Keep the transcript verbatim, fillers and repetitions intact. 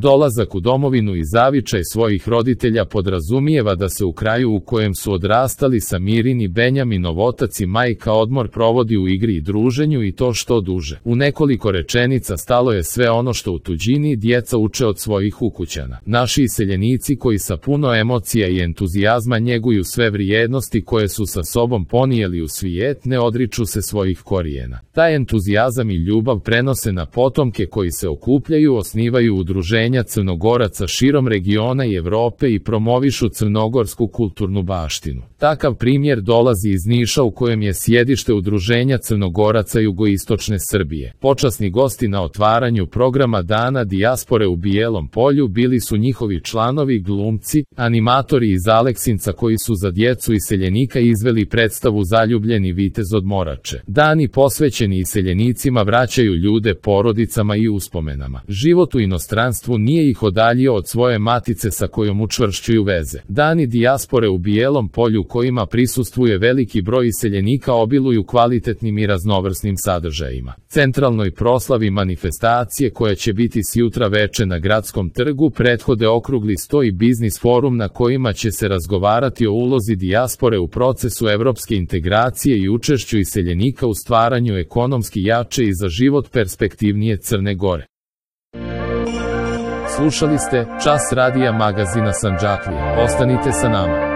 Dolazak u domovinu i zavičaj svojih roditelja podrazumijeva da se u kraju u kojem su odrastali Samirin i Benjaminov otac i majka odmor provodi u igri i druženju i to što duže. U nekoliko rečenica stalo je sve ono što u tuđini djeca uče od svojih ukućana. Naši iseljenici koji sa puno emocija i entuzijazma njeguju sve vrijednosti koje su sa sobom ponijeli u svijet, ne odriču se svojih korijena. Taj entuzijazam i ljubav prenose na potomke koji se okupljaju, osnivaju udruženja Crnogoraca širom regiona i Evrope i promovišu crnogorsku kulturnu baštinu. Takav primjer dolazi iz Niša u kojem je sjedište udruženja Crnogoraca jugoistočne Srbije. Počasni gosti na otvaranju programa Dana dijaspore u Bijelom Polju bili su njihovi članovi, glumci, animatori iz Aleksinca koji su za djecu iseljenika izveli predstavu Zaljubljeni vitez od Morače. Dani posvećeni iseljenicima vraćaju ljude porodicama i uspomenama. Život u inostranstvu nije ih odaljio od svoje matice sa kojom učvršćuju veze. Dani dijaspore u Bijelom Polju kojima prisustvuje veliki broj iseljenika obiluju kvalitetnim i raznovrsnim sadržajima. Centralnoj proslavi manifestacije koja će biti sjutra veče na Gradskom trgu prethode okrugli sto i biznis forum na kojima će se razgovarati o ulozi dijaspore u procesu evropske integracije i učešću iseljenika u stvaranju ekonomski jače i za život perspektivnije Crne Gore. Slušali ste Čas radija magazina Sandžaklija. Ostanite sa nama.